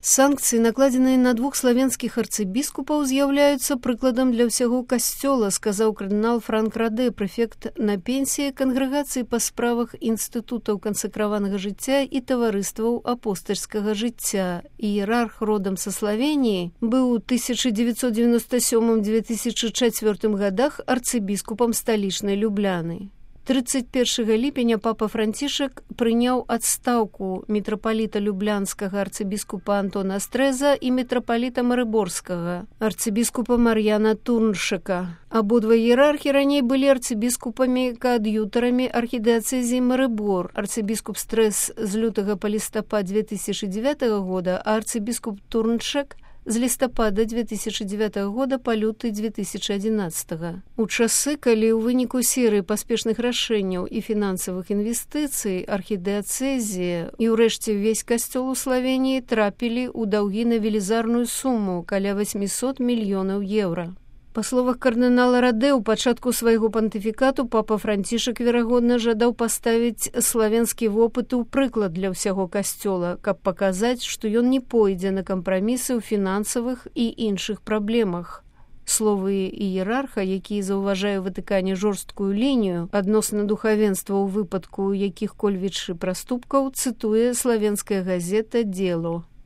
Санкцыі, накладзеныя на двух славянскіх арцыбіскупаў, з'яўляюцца прыкладам для ўсяго касцёла, сказаў кардынал Франк Раде, прэфект на пенсіі кангрэгацыі па справах інстытутаў кансакраванага жыцця і таварыстваў апостальскага жыцця. Іерарх родам са Славеніі быў у 1997-2004 годах арцыбіскупам сталічнай Любляны. 31 ліпеня папа Францішак прыняў адстаўку мітрапаліта люблянскага арцыбіскупа Антона Стрэза і мітрапаліта Марыборскага арцыбіскупа Мар'яна Турншака. Абодва іерархі раней былі арцыбіскупамі-каад'ютарамі архідыацэзіі Марыбор. Арцыбіскуп Стрэз з лютага па лістапад 2009 года, а арцыбіскуп Турншак з лістапада 2009 года па люты 2011. У часы, калі ў выніку серыі паспешных рашэнняў і фінансавых інвестыцый архідыацэзія і ўрэшце ўвесь касцёл у Славеніі трапілі ў даўгі на велізарную суму каля 800 мільёнаў еўра. Па словах кардынала Раде, у пачатку свайго пантыфікату папа Францішак, верагодна, жадаў паставіць славянскі вопыт у прыклад для ўсяго касцёла, каб паказаць, што ён не пойдзе на кампрамісы ў фінансавых і іншых праблемах. Словы іерарха, які заўважае ў Ватыкане жорсткую лінію адносна духавенства ў выпадку якіх-кольвіч праступкаў, цытуе славенская газета «Дело».